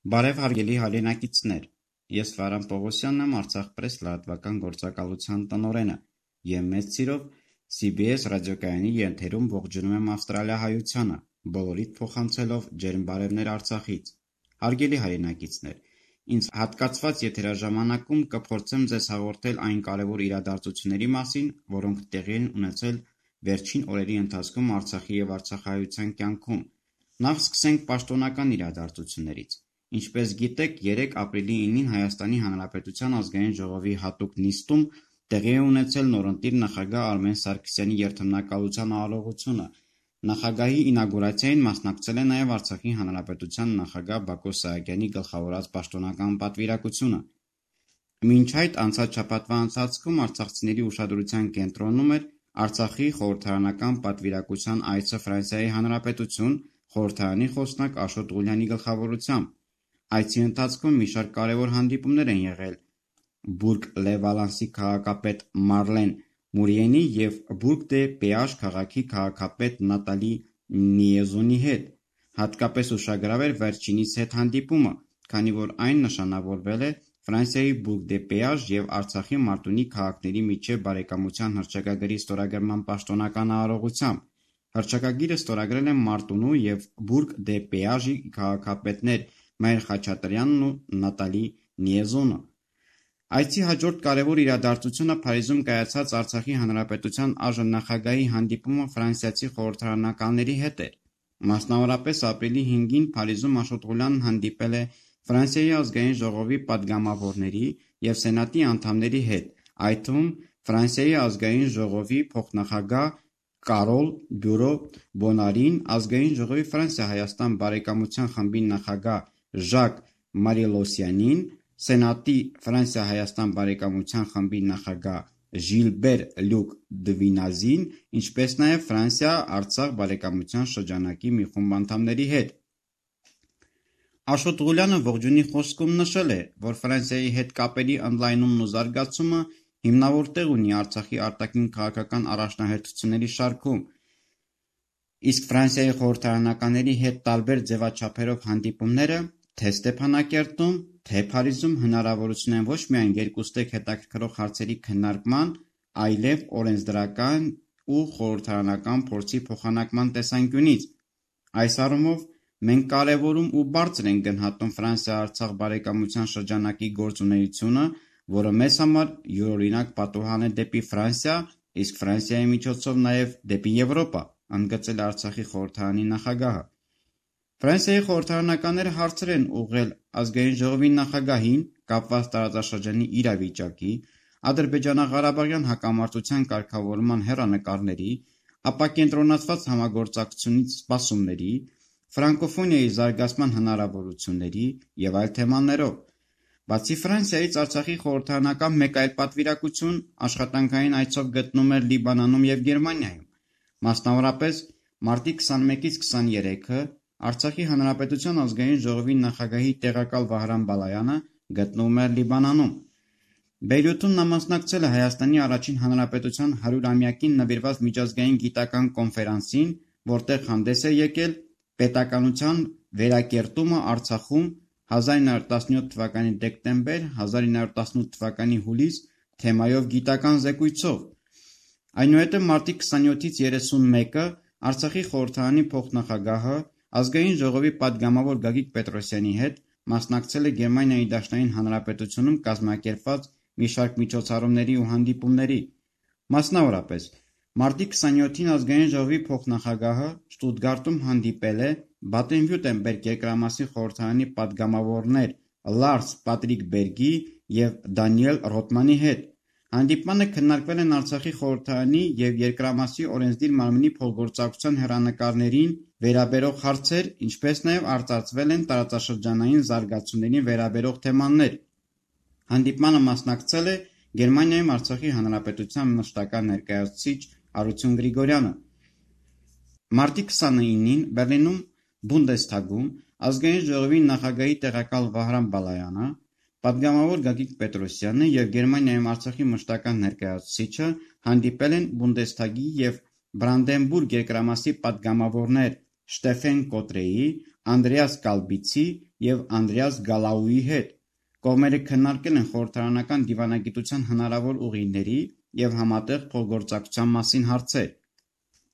Բարև հարգելի հայրենակիցներ, ես Վարան Պողոսյանն եմ, Արցախ-Պրես լրատվական գործակալության տնօրենը և մեծ սիրով CBS ռադիոկայանի եթերում ողջունում եմ ավստրալիահայությանը, բոլորիդ փոխանցելով ջերմ բարևներ Արցախից։ Հարգելի հայրենակիցներ, ինձ հատկացված եթերաժամանակում կփորձեմ ձեզ հաղորդել այն կարևոր իրադարձությունների մասին, որոնք տեղի են ունեցել վերջին օրերի ընթացքում Արցախի և արցախահայության կյանքում։ Նախ սկսենք պաշտոնական իրադարձություններից։ Ինչպես գիտեք, 3 ապրիլի 9-ին Հայաստանի Հանրապետության ազգային ժողովի հատուկ նիստում տեղի է ունեցել նորընտիր նախագահ Արմեն Սարգսյանի երդմնակալության արարողությունը։ Նախագահի ինագուրացիային մասնակցել է նաև Արցախի Հանրապետության նախագահ Բակո Սահակյանի գլխավորած պաշտոնական պատվիրակությունը։ Մինչ այդ անցած շաբաթվա ընթացքում արցախցիների ուշադրության կենտրոնում էր Արցախի խորհրդարանական պատվիրակության այցը Ֆրանսիայի Հանրապետություն, խորհրդարանի խոսնակ Աշոտ Ղուլյանի գլխավորությամբ։ Այցի ընթացքում մի շարք կարևոր հանդիպումներ են եղել Բուրգ-լե-Վալանսի քաղաքապետ Մարլեն Մուրիենի և Բուրգ-դե-Պեաժ քաղաքի քաղաքապետ Նատալի Նիեզոնի հետ։ Հատկապես ուշագրավ էր վերջինիս հետ հանդիպումը, քանի որ այն նշանավորվել է Ֆրանսիայի Բուրգ-դե-Պեաժ և Արցախի Մարտունի քաղաքների միջև բարեկամության հռչակագրի ստորագրման պաշտոնական արարողությամբ։ Հռչակագիրը ստորագրել են Մարտունու և Բուրգ-դե-Պեաժի քաղաքապետներ Մայր Խաչատրյանն ու Նատալի Նիեզոնը։ Այցի հաջորդ կարևոր իրադարձությունը Փարիզում կայացած Արցախի Հանրապետության ԱԺ նախագահի հանդիպումը ֆրանսիացի խորհրդարանականների հետ էր։ Մասնավորապես ապրիլի 5-ին Փարիզում Աշոտ Ղուլյանն հանդիպել է Ֆրանսիայի ազգային ժողովի պատգամավորների և սենատի անդամների հետ, այդ թվում Ֆրանսիայի ազգային ժողովի փոխնախագահ Կարոլ Բյուրո Բոնարին, ազգային ժողովի Ֆրանսիա-Հայաստան բարեկամության խմբի նախագահ Ժակ Մարիլոսյանին, սենատի Ֆրանսիա-Հայաստան բարեկամության խմբի նախագահ Ժիլբեր Լյուկ Դվինազին, ինչպես նաև Ֆրանսիա-Արցախ բարեկամության շրջանակի մի խումբ անդամների հետ։ Աշոտ Ղուլյանը ողջույնի խոսքում նշել է, որ Ֆրանսիայի հետ կապերի ընդլայնումն ու զարգացումը հիմնավոր տեղ ունի Արցախի արտաքին քաղաքական առաջնահերթությունների շարքում, իսկ Ֆրանսիայի խորհրդարանականների հետ տարբեր ձևաչափերով հանդիպումները թե Ստեփանակերտում, թե Փարիզում հնարավորություն են ոչ միայն երկուստեք հետաքրքրող հարցերի քննարկման, այլև օրենսդրական ու խորհրդարանական փորձի փոխանակման տեսանկյունից։ Այս առումով մենք կարևորում ու բարձր ենք գնահատում Ֆրանսիա-Արցախ բարեկամության շրջանակի գործունեությունը, որը մեզ համար յուրօրինակ պատուհան է դեպի Ֆրանսիա, իսկ Ֆրանսիայի միջոցով նաև դեպի Եվրոպա, ընդգծել է Արցախի խորհրդարանի նախագահը։ Ֆրանսիայի խորհրդարանականները հարցեր են ուղղել ազգային ժողովի նախագահին կապված տարածաշրջանի իրավիճակի, Ադրբեջանա-Ղարաբաղյան հակամարտության կարգավորման հեռանկարների, ապակենտրոնացված համագործակցությունից սպասումների, ֆրանկոֆոնիայի զարգացման հնարավորությունների և այլ թեմաներով։ Բացի Ֆրանսիայից Արցախի խորհրդարանական մեկ այլ պատվիրակություն աշխատանքային այցով գտնվում էր Լիբանանում և Գերմանիայում։ Մասնավորապես մարտի 21-ից 23-ը Արցախի Հանրապետության ազգային ժողովի նախագահի տեղակալ Վահրամ Բալայանը գտնվում էր Լիբանանում։ Բեյրութում նա մասնակցել է Հայաստանի առաջին հանրապետության 100-ամյակին նվիրված միջազգային գիտական կոնֆերանսին, որտեղ հանդես է եկել պետականության վերակերտումը Արցախում 1917 թվականի դեկտեմբեր, 1918 թվականի հուլիս թեմայով գիտական զեկույցով։ Այնուհետև մարտի 27-ից 31-ը Արցախի խորհրդարանի փոխնախագահը ազգային ժողովի պատգամավոր Գագիկ Պետրոսյանի հետ մասնակցել է Գերմանիայի Դաշնային Հանրապետությունում կազմակերպված մի շարք միջոցառումների ու հանդիպումների։ Մասնավորապես, մարտի 27-ին ազգային ժողովի փոխնախագահը Շտուտգարտում հանդիպել է Բադեն-Վյուրտեմբերգ երկրամասի խորհրդարանի պատգամավորներ Լարս Պատրիկ Բերգի և Դանիել Ռոթմանի հետ։ Հանդիպմանը քննարկվել են Արցախի խորհրդարանի և երկրամասի օրենսդիր մարմնի փոխգործակցության հեռանկարներին վերաբերող հարցեր, ինչպես նաև արծարծվել են տարածաշրջանային զարգացումներին վերաբերող թեմաներ։ Հանդիպմանը մասնակցել է Գերմանիայում Արցախի Հանրապետության մշտական ներկայացուցիչ Արություն Գրիգորյանը։ Մարտի 29-ին Բեռլինում Բունդեսթագում ազգային ժողովի նախագահի տեղակալ Վահրամ Բալայանը, պատգամավոր Գագիկ Պետրոսյանը և Գերմանիայում Արցախի մշտական ներկայացուցիչը հանդիպել են Բունդեսթագի և Բրանդենբուրգ երկրամասի պատգամավորներ Շտեֆեն Կոտրեի, Անդրեաս Կալբիցի և Անդրեաս Գալաուի հետ։ Կողմերը քննարկել են խորհրդարանական դիվանագիտության հնարավոր ուղիների և համատեղ փոխգործակցության մասին հարցեր։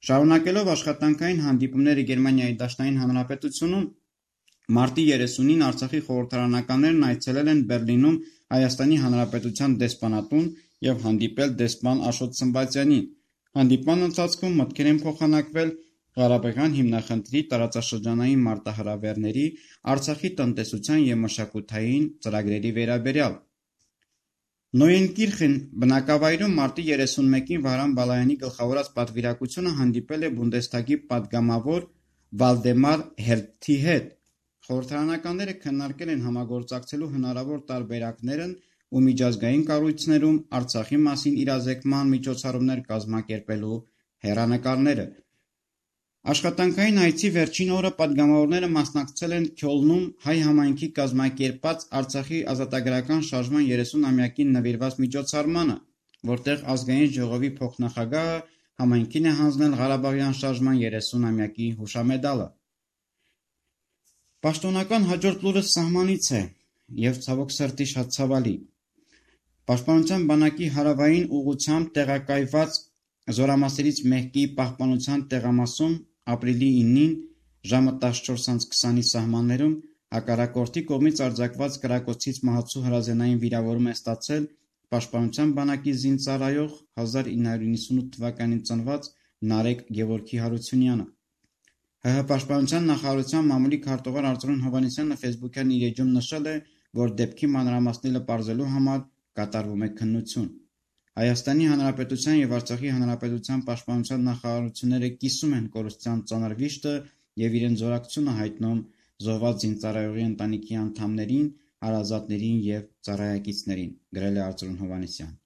Շարունակելով աշխատանքային հանդիպումները Գերմանիայի Դաշնային Հանրապետությունում, մարտի 30-ին Արցախի խորհրդարանականներն այցելել են Բեռլինում Հայաստանի Հանրապետության դեսպանատուն և հանդիպել դեսպան Աշոտ Սմբատյանին։ Հանդիպման ընթացքում մտքեր են փոխանակվել Ղարաբաղյան հիմնախնդրի տարածաշրջանային մարտահրավերների, Արցախի տնտեսության և մշակութային ծրագրերի վերաբերյալ։ Նոյենկիրխեն բնակավայրում մարտի 31-ին Վահրամ Բալայանի գլխավորած պատվիրակությունը հանդիպել է Բունդեսթագի պատգամավոր Վալդեմար Հերթի հետ։ Խորհրդարանականները քննարկել են համագործակցելու հնարավոր տարբերակներն ու միջազգային կառույցներում Արցախի մասին իրազեկման միջոցառումներ կազմակերպելու հեռանկարները։ Աշխատանքային այցի վերջին օրը պատգամավորները մասնակցել են Քյոլնում հայ համայնքի կազմակերպած Արցախի ազատագրական շարժման 30-ամյակին նվիրված միջոցառմանը, որտեղ Ազգային ժողովի փոխնախագահը համայնքին է հանձնել Ղարաբաղյան շարժման 30-ամյակի հուշամեդալը։ Պաշտոնական հաջորդ լուրը սահմանից է և ցավոք սրտի շատ ցավալի։ Պաշտպանության բանակի հարավային ուղղությամբ տեղակայված զորամասերից մեկի պահպանության տեղամասում ապրիլի 9-ին ժամը 14:20-ի սահմաններում հակառակորդի կողմից արձակված կրակոցից մահացու հրազենային վիրավորում է ստացել Պաշտպանության բանակի զինծառայող 1998 թվականին ծնված Նարեկ Գևորգի Հարությունյանը։ ՀՀ Պաշտպանության նախարարության մամուլի քարտուղար Արծրուն Հովհաննիսյանը ֆեյսբուքյան իր էջում նշել է, որ դեպքի մանրամասները պարզելու համար կատարվում է քննություն։ Հայաստանի Հանրապետության և Արցախի Հանրապետության պաշտպանության նախարարությունները կիսում են կորուստյան ծանր վիշտը և իրենց զորակցությունը հայտնում զոհված զինծառայողի ընտանիքի անդամներին, հարազատներին և ծառայակիցներին, գրել է Արծրուն Հովհաննիսյանը։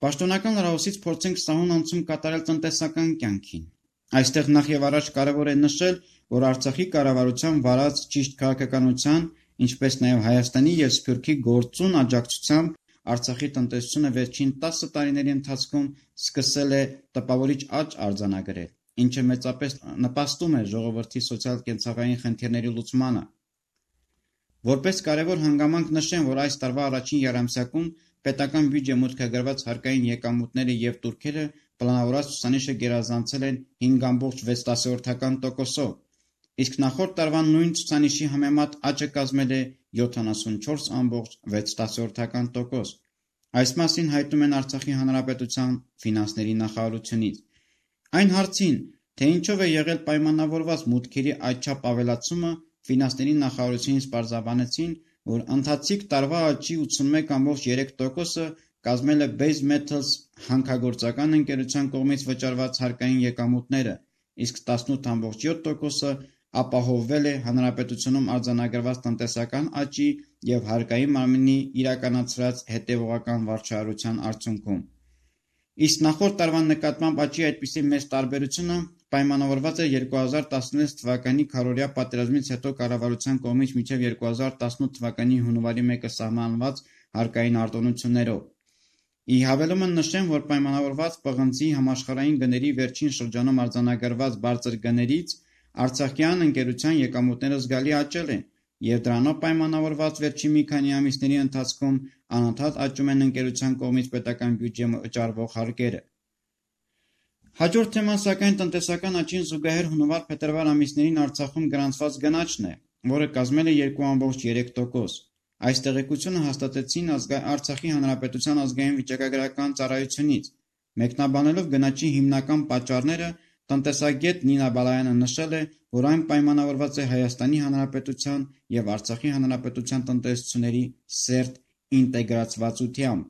Պաշտոնական լրահոսից փորձենք սահուն անցում կատարել տնտեսական կյանքին։ Այստեղ նախ և առաջ կարևոր է նշել, որ Արցախի կառավարության վարած ճիշտ քաղաքականության, ինչպես նաև Հայաստանի և Սփյուռքի գործուն աջակցությամբ Արցախի տնտեսությունը վերջին 10 տարիների ընթացքում սկսել է տպավորիչ աճ արձանագրել, ինչը մեծապես նպաստում է ժողովրդի սոցիալ-կենցաղային խնդիրների լուծմանը։ Որպես կարևոր հանգամանք նշեմ, որ այս տարվա առաջին եռամսյակում պետական բյուջե մուտքագրված հարկային եկամուտները և տուրքերը պլանավորած ցուցանիշը գերազանցել են 5.6%-ով, իսկ նախորդ տարվա նույն ցուցանիշի համեմատ աճը կազմել է 74.6%։ Այս մասին հայտնում են Արցախի Հանրապետության ֆինանսների նախարարությունից։ Այն հարցին, թե ինչով է եղել պայմանավորված մուտքերի այդչափ ավելացումը, ֆինանսների նախարարությունից պարզաբանեցին, որ ընթացիկ տարվա աճի 81.3%-ը կազմել է Base Metals հանքագործական ընկերության կողմից վճարված հարկային եկամուտները, իսկ 18.7%-ը ապահովվել է հանրապետությունում արձանագրված տնտեսական աճի և հարկային մարմնի իրականացրած հետևողական վարչարության արդյունքում։ Իսկ նախորդ տարվա նկատմամբ աճի այդպիսի մեծ տարբերությունը պայմանավորված էր 2016 թվականի քառօրյա պատերազմից հետո կառավարության կողմից մինչև 2018 թվականի հունվարի 1-ը սահմանված հարկային արտոնություններով։ Ի հավելումը նշեմ, որ պայմանավորված պղնձի համաշխարհային գների վերջին շրջանում արձանագրված բարձր գներից արցախյան ընկերության եկամուտները զգալի աճել են, և դրանով պայմանավորված վերջին մի քանի ամիսների ընթացքում անընդհատ աճում են ընկերության կողմից պետական բյուջե վճարվող հարկերը։ Հաջորդ թեման սակայն տնտեսական աճին զուգահեռ հունվար-փետրվար ամիսներին Արցախում գրանցված գնաճն է, որը կազմել է 2.3%։ Այս տեղեկությունը հաստատեցին Արցախի Հանրապետության ազգային վիճակագրական ծառայությունից։ Մեկնաբանելով գնաճի հիմնական պատճառները, տնտեսագետ Նինա Բալայանը նշել է, որ այն պայմանավորված է Հայաստանի Հանրապետության և Արցախի Հանրապետության տնտեսությունների սերտ ինտեգրացվածությամբ։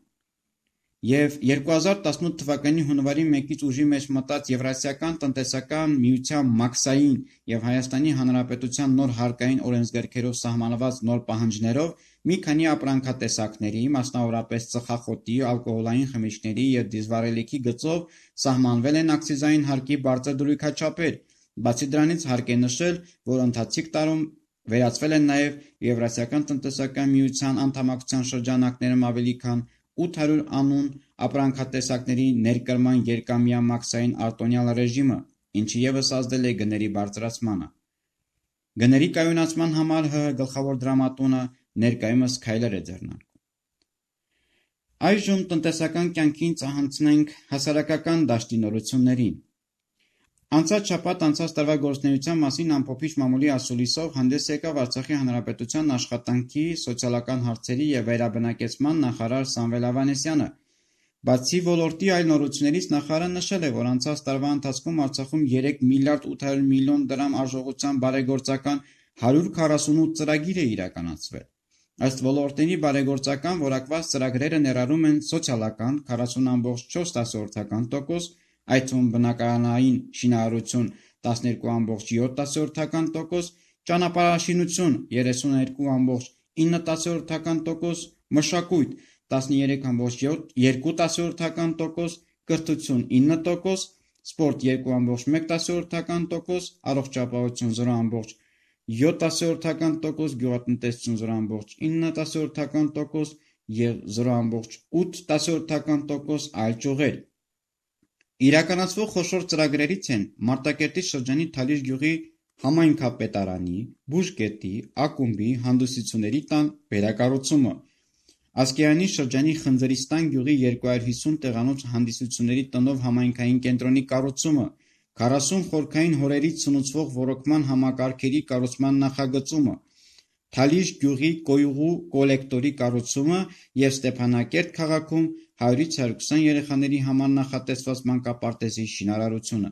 Եվ 2018 թվականի հունվարի 1-ից ուժի մեջ մտած Եվրասիական տնտեսական միության մաքսային և Հայաստանի Հանրապետության նոր հարկային օրենսգրքերով սահմանված նոր պահանջներով մի քանի ապրանքատեսակների, մասնավորապես ծխախոտի, ալկոհոլային խմիչքների և դիզվառելիքի գծով սահմանվել են ակցիզային հարկի բարձր դրույքաչափեր։ Բացի դրանից հարկ է նշել, որ ընթացիկ տարում վերացվել են նաև Եվրասիական տնտեսական միության անդամակցության շրջանակներում ավելի քան 800 անուն ապրանքատեսակների ներկրման երկամյա մաքսային արտոնյալ ռեժիմը, ինչը ևս ազդել է գների բարձրացմանը։ Գների կայունացման համար ՀՀ գլխավոր դրամատունը ներկայումս քայլեր է ձեռնարկում։ Այժմ տնտեսական կյանքին ծանոթանանք հասարակական դաշտի նորություններին։ Անցած շաբաթ անցած տարվա գործունեության մասին ամփոփիչ մամուլի ասուլիսով հանդես եկավ Արցախի Հանրապետության աշխատանքի, սոցիալական հարցերի և վերաբնակեցման նախարար Սամվել Ավանեսյանը։ Բացի ոլորտի այլ նորություններից նախարարը նշել է, որ անցած տարվա ընթացքում Արցախում 3 միլիարդ 800 միլիոն դրամ արժողությամբ բարեգործական 148 ծրագիր է իրականացվել։ Ըստ ոլորտների բարեգործական որակված ծրագրերը ներառում են սոցիալական 40,4%, այդ թվում բնակարանային շինարարություն 12,7%, ճանապարհաշինություն 32,9%, մշակույթ 13,2%, կրթություն 9%, սպորտ 2,1%, առողջապահություն 0,7%, գյուղատնտեսություն 0,9% և 0,8% այլ ճյուղեր։ Իրականացվող խոշոր ծրագրերից են Մարտակերտի շրջանի Թալիշ գյուղի համայնքապետարանի, բուժկետի, ակումբի, հանդիսությունների տան վերակառուցումը, Ասկերանի շրջանի Խնձրիստան գյուղի 250 տեղանոց հանդիսությունների տնով համայնքային կենտրոնի կառուցումը, 40 խորքային հորերից սնուցվող ոռոգման համակարգերի կառուցման նախագծումը, Թալիշ գյուղի կոյուղու կոլեկտորի կառուցումը և Ստեփանակերտ քաղաքում 100-ից 120 երեխաների համար նախատեսված մանկապարտեզի շինարարությունը։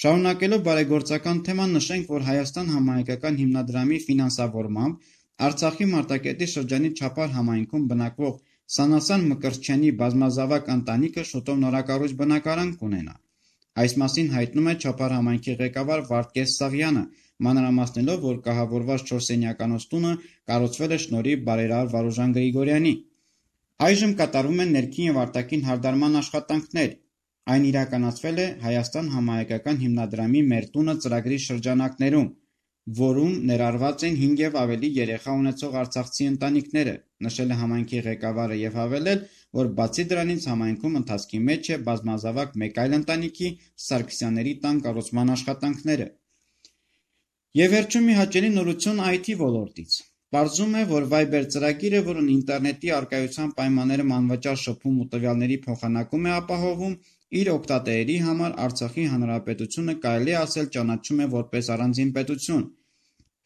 Շարունակելով բարեգործական թեման նշենք, որ Հայաստան համահայկական հիմնադրամի ֆինանսավորմամբ Արցախի Մարտակերտի շրջանի Չափար համայնքում բնակվող Սանասան Մկրտչյանի բազմազավակ ընտանիքը շուտով նորակառույց բնակարան կունենա։ Այս մասին հայտնում է Չափար համայնքի ղեկավար Վարդգես Սաղյանը, մանրամասնելով, որ կահավորված 4-սենյականոց տունը կառուցվել է շնորհիվ բարերար Վարուժան Գրիգորյանի։ Այժմ կատարվում են ներքին և արտաքին հարդարման աշխատանքներ։ Այն իրականացվել է Հայաստան համահայկական հիմնադրամի «Մեր տունը» ծրագրի շրջանակներում, որում ներառված են 5 և ավելի երեխա ունեցող արցախցի ընտանիքները, նշել է համայնքի ղեկավարը և հավելել, որ բացի դրանից համայնքում ընթացքի մեջ է բազմազավակ մեկ այլ ընտանիքի՝ Սարգսյանների տան կառուցման աշխատանքները։ Եվ վերջում մի հաճելի նորություն IT ոլորտից։ Պարզվում է, որ Viber ծրագիրը, որն ինտերնետի առկայության պայմաններում անվճար շփում ու տվյալների փոխանակում է ապահովում, իր օգտատերերի համար Արցախի Հանրապետությունը կարելի է ասել ճանաչում է որպես առանձին պետություն։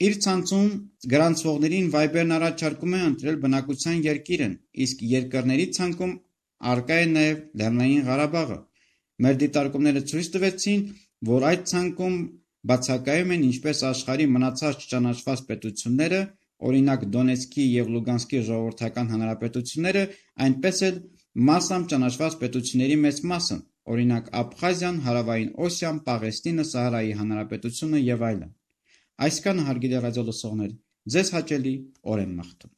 Իր ցանցում գրանցվողներին Viber-ն առաջարկում է ընտրել բնակության երկիրն, իսկ երկրների ցանկում առկա է նաև Լեռնային Ղարաբաղը։ Մեր դիտարկումները ցույց տվեցին, որ այդ ցանկում բացակայում են ինչպես աշխարհի մնացած չճանաչված պետությունները, օրինակ Դոնեցկի և Լուգանսկի ժողովրդական հանրապետությունները, այնպես էլ մասամբ ճանաչված պետությունների մեծ մասը, օրինակ Աբխազիան, Հարավային Օսիան, Պաղեստինը, Սահարայի հանրապետությունը և այլն։ Այսքանը, հարգելի ռադիոլսողներ, ձեզ հաճելի օր եմ մաղթում։